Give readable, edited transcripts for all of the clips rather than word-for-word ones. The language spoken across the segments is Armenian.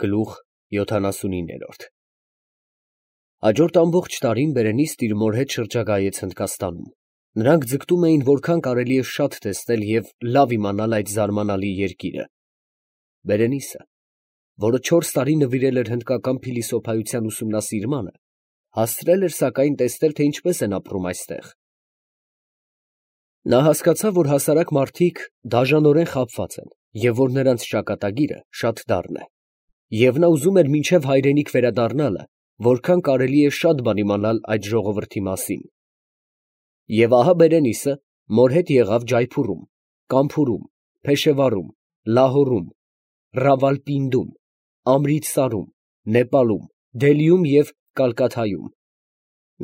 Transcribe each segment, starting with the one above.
Գլուխ 79։ Հաջորդ ամբողջ տարին Բերենիսն իր մոր հետ շրջագայեց Հնդկաստանում. նրանք ձգտում էին որքան կարելի է շատ տեսնել և լավ իմանալ այդ զարմանալի երկիրը։ Բերենիսը, որը 4 տարի նվիրել էր հնդկական փիլիսոփայության ուսումնասիրմանը, հասցրել էր սակայն տեսնել, թե ինչպես են ապրում այստեղ։ Նա հասկացավ, որ հասարակ մարդիկ դաժանորեն խաբված են, և որ նրանց ճակատագիրը շատ դառն է, և նա ուզում էր մինչև հայրենիք վերադառնալը որքան կարելի է շատ բան իմանալ այդ ժողովրդի մասին։ Եվ ահա Բերենիսը մոր հետ եղավ Ջայփուրում, Կամփուրում, Փեշեվարում, Լահորում, Ռավալպինդում, Ամրիցսարում, Նեպալում, Դելիում և Կալկաթայում։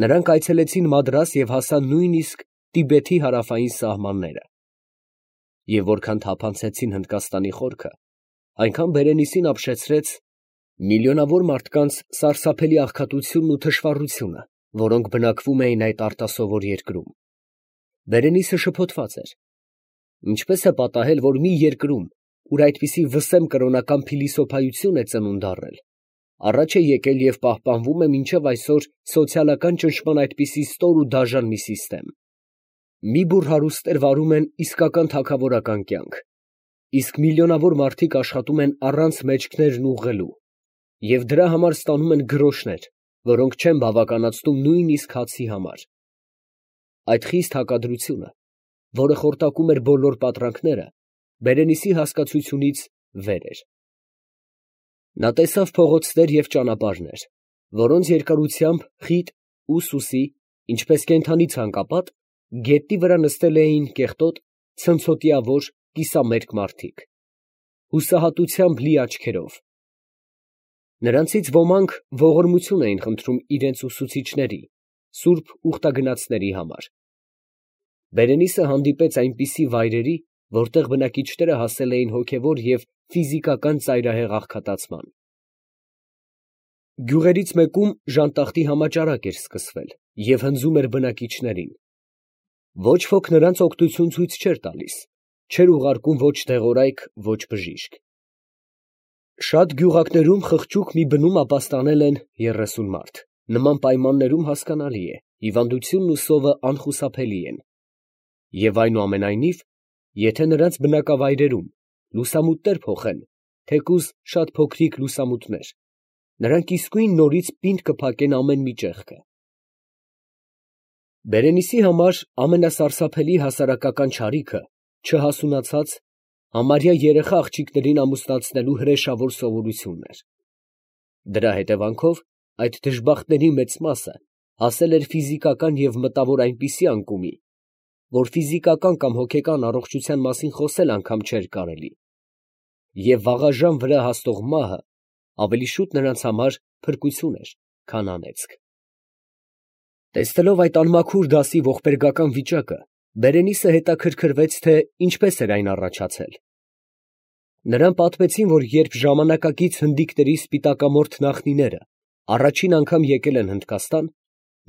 Նրանք այցելեցին Մադրաս և հասան նույնիսկ Տիբեթի հարավային սահմանները։ Եվ որքան թափանցեցին Հնդկաստանի խորքը, այնքան Բերենիսին ապշեցրեց միլիոնավոր մարդկանց սարսափելի աղքատությունն ու թշվառությունը, որոնք բնակվում էին այդ արտասովոր երկրում։ Բերենիսը շփոթված էր. ինչպես է պատահել, որ մի երկրում, ուր այդպիսի վսեմ կրոնական փիլիսոփայություն է ծնունդ առել, առաջ է եկել և պահպանվում է մինչև այսօր սոցիալական ճնշման այդպիսի ստոր ու դաժան մի սիստեմ։ Մի բուռ հարուստներ վարում են իսկական թագավորական կյանք, իսկ միլիոնավոր մարդիկ աշխատում են առանց մեջքներն ուղղելու և դրա համար ստանում են գրոշներ, որոնք չեն բավականացնում նույնիսկ հացի համար։ Այդ խիստ հակադրությունը, որը խորտակում էր բոլոր պատրանքները, Բերենիսի հասկացությունից վեր էր։ Նա տեսավ փողոցներ և ճանապարհներ, որոնց երկարությամբ խիտ ու սուսի, ինչպես կենդանի ցանկապատ, գետնի վրա նստել էին կեղտոտ, ցնցոտիավոր, կիսամերկ մարդիկ, հուսահատությամբ լի աչքերով։ Նրանցից ոմանք ողորմություն էին խնդրում իրենց ուսուցիչների, սուրբ ուխտագնացների համար։ Բերենիսը հանդիպեց այնպիսի վայրերի, որտեղ բնակիչները հասել էին հոգևոր և ֆիզիկական ծայրահեղ աղքատացման։ Գյուղերից մեկում ժանտախտի համաճարակ էր սկսվել և հնձում էր բնակիչներին։ Ոչ ոք նրանց օգնություն ցույց չէր տալիս, չէր ուղարկում ոչ դեղորայք, ոչ բժիշկ։ Շատ գյուղակներում խղճուկ մի բնում ապաստանել են 30 մարդ։ Նման պայմաններում հասկանալի է, հիվանդությունն ու սովը անխուսափելի են։ Եվ այնուամենայնիվ, եթե նրանց բնակավայրերում լուսամուտներ փոխեն, թեկուզ շատ փոքրիկ լուսամուտներ, նրանք իսկույն նորից պինդ կփակեն ամեն մի ճեղքը։ Բերենիսի համար ամենասարսափելի հասարակական չարիքը չհասունացած, համարյա երեխա աղջիկներին ամուսնացնելու հրեշավոր սովորությունն էր։ Դրա հետևանքով այդ դժբախտների մեծ մասը հասել էր ֆիզիկական և մտավոր այնպիսի անկումի, որ ֆիզիկական կամ հոգեկան առողջության մասին խոսել անգամ չէր կարելի, և վաղաժամ վրա հասնող մահը ավելի շուտ նրանց համար փրկություն էր, քան անեծք։ Տեսնելով այդ անմաքուր դասի ողբերգական վիճակը, Բերենիսը հետաքրքրվեց, թե ինչպես էր այն առաջացել։ Նրան պատմեցին, որ երբ ժամանակակից հնդիկների սպիտակամորթ նախնիները առաջին անգամ եկել են Հնդկաստան,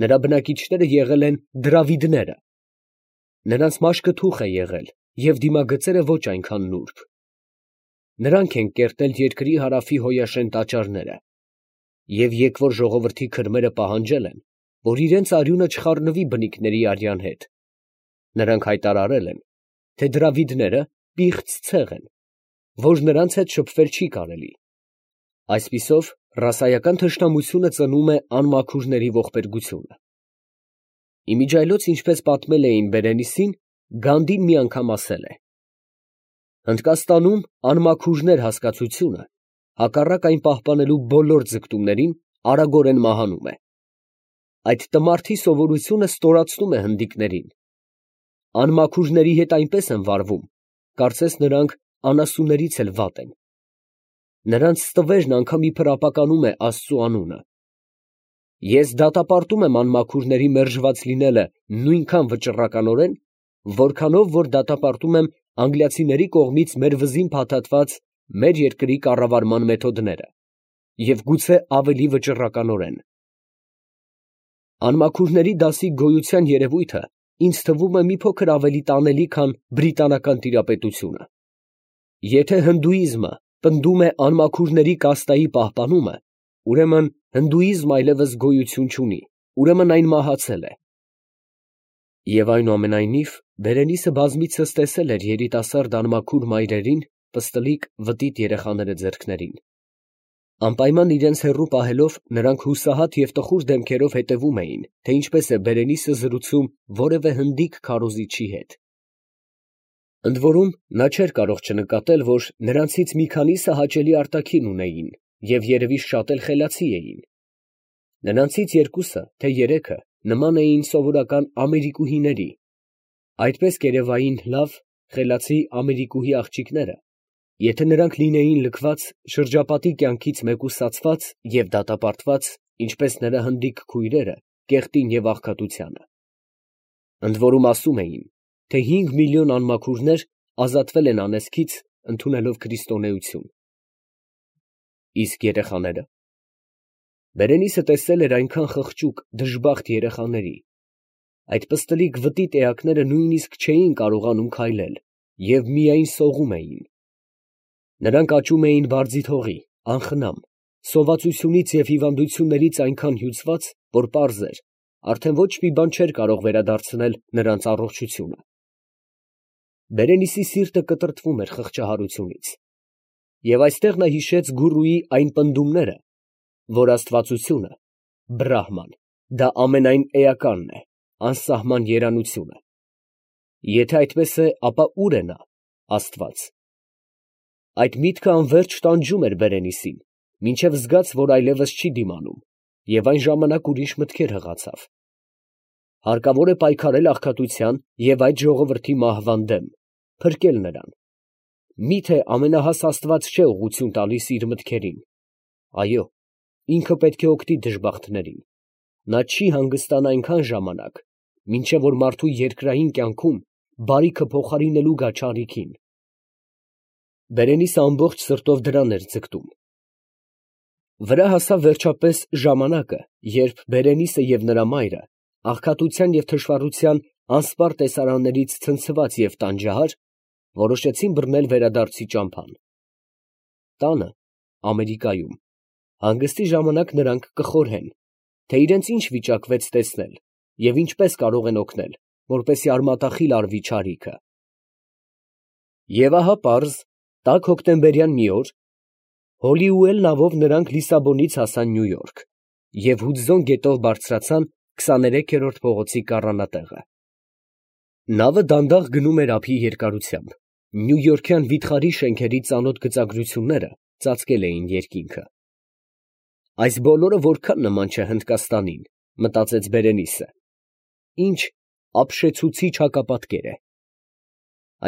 նրա բնակիչները եղել են դրավիդները։ Նրանց մաշկը թուխ է եղել և դիմագծերը ոչ այնքան նուրբ։ Նրանք են կերտել երկրի հարավի հոյաշեն տաճարները և եկվոր ժողովրդի քրմերը պահանջել են, որ իրենց արյունը չխառնվի բնիկների արյան հետ։ Նրանք հայտարարել են, թե դրավիդները պիղծ ցեղ են, որ նրանց հետ շփվել չի կարելի։ Այսպիսով, ռասայական թշնամությունը ծնում է անմաքուրների ողբերգությունը։ Իմիջիայլոց ինչպես պատմել էին Բերենիսին, Գանդին մի անգամ ասել է. Հնդկաստանում անմաքուրներ հասկացությունը, հակառակ այն պահպանելու բոլոր ձգտումներին, արագորեն մահանում է։ Այդ տմարդի սովորությունը ստորացնում է հնդիկներին։ Անմաքուրների հետ այնպես են վարվում, կարծես նրանք անասուններից էլ վատ են։ Նրանց ստվերն անգամ իբր ապականում է Աստծու անունը։ Ես դատապարտում եմ անմաքուրների մերժված լինելը նույնքան վճռականորեն, որքանով որ դատապարտում եմ անգլիացիների կողմից մեր վզին փաթաթված մեր երկրի կառավարման մեթոդները, և գուցե ավելի վճռականորեն։ Անմաքուրների դասի գոյության երևույթը ինձ թվում է մի փոքր ավելի տանելի, քան բրիտանական տիրապետությունը։ Եթե հնդուիզմը պնդում է անմաքուրների կաստայի պահպանումը, ուրեմն հնդուիզմ այլևս գոյություն չունի, ուրեմն այն մահացել է։ Եվ այնուամենայնիվ Բերենիսը բազմիցս տեսել էր երիտասարդ անմաքուր մայրերին պստլիկ վտիտ երեխաները ձեռքներին։ Անպայման իրենց հեռու պահելով, նրանք հուսահատ և տխուր դեմքերով հետևում էին, թե ինչպես է Բերենիսը զրուցում որևէ հնդիկ քարոզիչի հետ։ Ընդ որում, նա չէր կարող չնկատել, որ նրանցից մի քանիսը հաճելի արտաքին ունեին և երևի շատ էլ խելացի էին։ Նրանցից երկուսը, թե երեքը, նման էին սովորական ամերիկուհիների, այդպես կերևային լավ, խելացի ամերիկուհի աղջիկները, եթե նրանք լինեին լքված, շրջապատի կյանքից մեկուսացված և դատապարտված, ինչպես նրա հնդիկ քույրերը, կեղտին և աղքատությանը։ Ընդ որում ասում էին, թե 5 միլիոն անմաքուրներ ազատվել են անեծքից, ընդունելով քրիստոնեություն։ Իսկ երեխաները։ Բերենիսը տեսել էր այնքան խղճուկ, դժբախտ երեխաների։ Այդ պստլիկ վտիտ էակները նույնիսկ չէին կարողանում քայլել և միայն սողում էին։ Նրանք աճում էին բարձիթ հողի, անխնամ, սովածությունից և հիվանդություններից այնքան հյուծված, որ պարզ էր, արդեն ոչ մի բան չէր կարող վերադարձնել նրանց առողջությունը։ Բերենիսի սիրտը կտրտվում էր խղճահարությունից։ Եվ այստեղ նա հիշեց գուրուի այն պնդումները, որ աստվածությունը, Բրահման, դա ամենայն էականն է, անսահման երանությունը։ Եթե այդպես է, ապա ո՞ւր է նա, Աստված։ Այդ միտքը անվերջ տանջում էր Բերենիսին, մինչև զգաց, որ այլևս չի դիմանում, և այն ժամանակ ուրիշ մտքեր հղացավ։ Հարկավոր է պայքարել աղքատության և այդ ժողովրդի մահվան դեմ, փրկել նրան։ Մի՞թե ամենահաս Աստված չէ ուղղություն տալիս իր մտքերին։ Այո, ինքը պետք է օգնի դժբախտներին։ Նա չի հանգստանա այնքան ժամանակ, մինչև որ մարդու երկրային կյանքում բարիքը փոխարինելու գա չարիքին։ Բերենիսը ամբողջ սրտով դրան էր ձգտում։ Վրա հասավ վերջապես ժամանակը, երբ Բերենիսը և նրա մայրը, աղքատության և թշվառության անսպառ տեսարաններից ցնցված և տանջահար, որոշեցին բռնել վերադարձի ճամփան։ Տանը, Ամերիկայում, հանգստի ժամանակ նրանք կխորհեն, թե իրենց ինչ վիճակվեց տեսնել և ինչպես կարող են օգնել, որպեսզի արմատախիլ արվի չարիքը։ Եվ ահա պարզ, տաք հոկտեմբերյան մի օր Հոլիուել նավով նրանք Լիսաբոնից հասան Նյու Յորք և Հուդզոն գետով բարձրացան 23-րդ փողոցի կառանատեղը։ Նավը դանդաղ գնում էր ափի երկարությամբ, նյույորքյան վիթխարի շենքերի ծանոթ գծագրությունները ծածկել էին երկինքը։ Այս բոլորը որքան նման չէ Հնդկաստանին, մտածեց Բերենիսը։ Ինչ ապշեցուցիչ հակապատկեր է։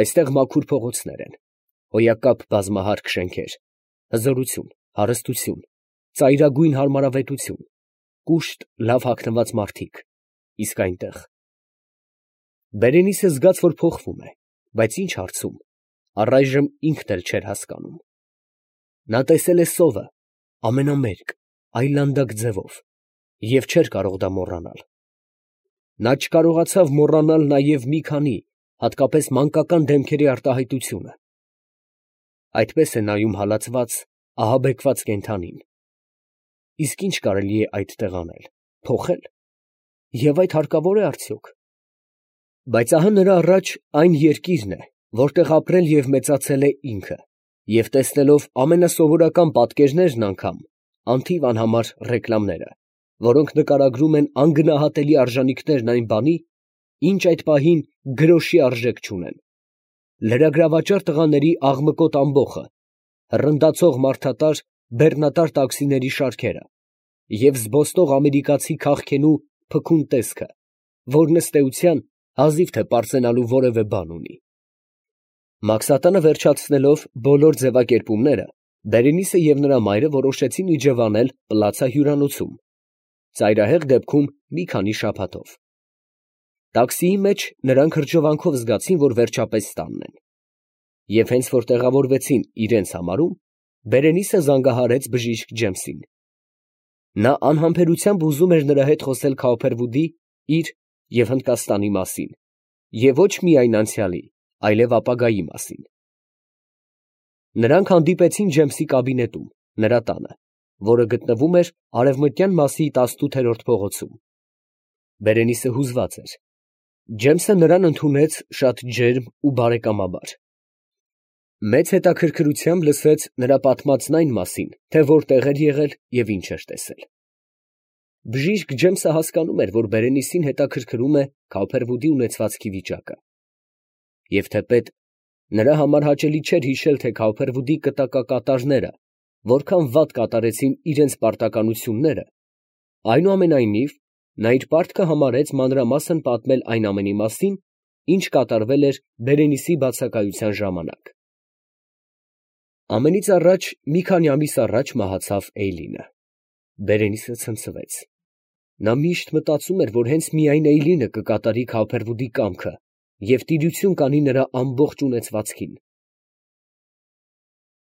Այստեղ մաքուր փողոցներ են, հոյակապ բազմահարկ շենքեր, հզորություն, հարստություն, ծայրագույն հարմարավետություն, կուշտ լավ հագնված մարդիկ, իսկ այնտեղ… Բերենիսը զգաց, որ փոխվում է, բայց ինչ հարցում, առայժմ ինքն էլ չէր հասկանում։ Նա տեսել է սովը, ամենամերկ, այլանդակ ձևով, և չէր կարող դա մոռանալ։ Նա չկարողացավ մոռանալ նաև մի քանի, հատկապես մանկական դեմքերի արտահայտությունը։ Այդպես է նայում հալածված, ահաբեկված կենդանին։ Իսկ ինչ կարելի է այդտեղ անել, փոխել, և այդ հարկավոր է արդյոք։ Բայց ահա նրա առաջ այն երկիրն է, որտեղ ապրել և մեծացել է ինքը, և տեսնելով ամենասովորական պատկերներն անգամ, անթիվ անհամար ռեկլամները, որոնք նկարագրում են անգնահատելի արժանիքներն այն բանի, ինչ այդ պահին գրոշի արժեք չունեն, լրագրավաճառ տղաների աղմկոտ ամբոխը, հռնդացող մարդատար, բեռնատար տաքսիների շարքերը և զբոսնող ամերիկացի քաղքենու փքուն տեսքը, որն ըստ էության հազիվ թե պարծենալու որևէ բան ունի։ Մաքսատանը վերջացնելով բոլոր ձևակերպումները, Բերենիսը և նրա մայրը որոշեցին իջևանել Պլացա հյուրանոցում, ծայրահեղ դեպքում մի քանի շաբաթով։ Տաքսիի մեջ նրանք հրճվանքով զգացին, որ վերջապես տանն են։ Եվ հենց որ տեղավորվեցին իրենց համարում, Բերենիսը զանգահարեց բժիշկ Ջեմսին։ Նա անհամբերությամբ ուզում էր նրա հետ խոսել Քոփերվուդի, իր և Հնդկաստանի մասին, և ոչ միայն անցյալի, այլև ապագայի մասին։ Նրանք հանդիպեցին Ջեմսի կաբինետում, նրա տանը, որը գտնվում էր Արևմտյան մասի 18-րդ փողոցում։ Բերենիսը հուզված էր։ Ջեմսը նրան ընդունեց շատ ջերմ ու բարեկամաբար։ Մեծ հետաքրքրությամբ լսեց նրա պատմածն այն մասին, թե որտեղ էր եղել և ինչ էր տեսել։ Բժիշկ Ջեմսը հասկանում էր, որ Բերենիսին հետաքրքրում է Քալփերվուդի ունեցվածքի վիճակը։ Եվ թեպետ նրա համար հաճելի չէր հիշել, թե Քալփերվուդի կտակակատարները որքան վատ կատարեցին իրենց պարտականությունները, այնուամենայնիվ նա իր պարտքը համարեց մանրամասն պատմել այն ամենի մասին, ինչ կատարվել էր Բերենիսի բացակայության ժամանակ։ Ամենից առաջ մի քանի ամիս առաջ մահացավ Էյլինը։ Բերենիսը ցնցվեց։ Նա միշտ մտածում էր, որ հենց միայն Էյլինը կկատարի Քալփերվուդի կամքը և տիրություն կանի նրա ամբողջ ունեցվածքին։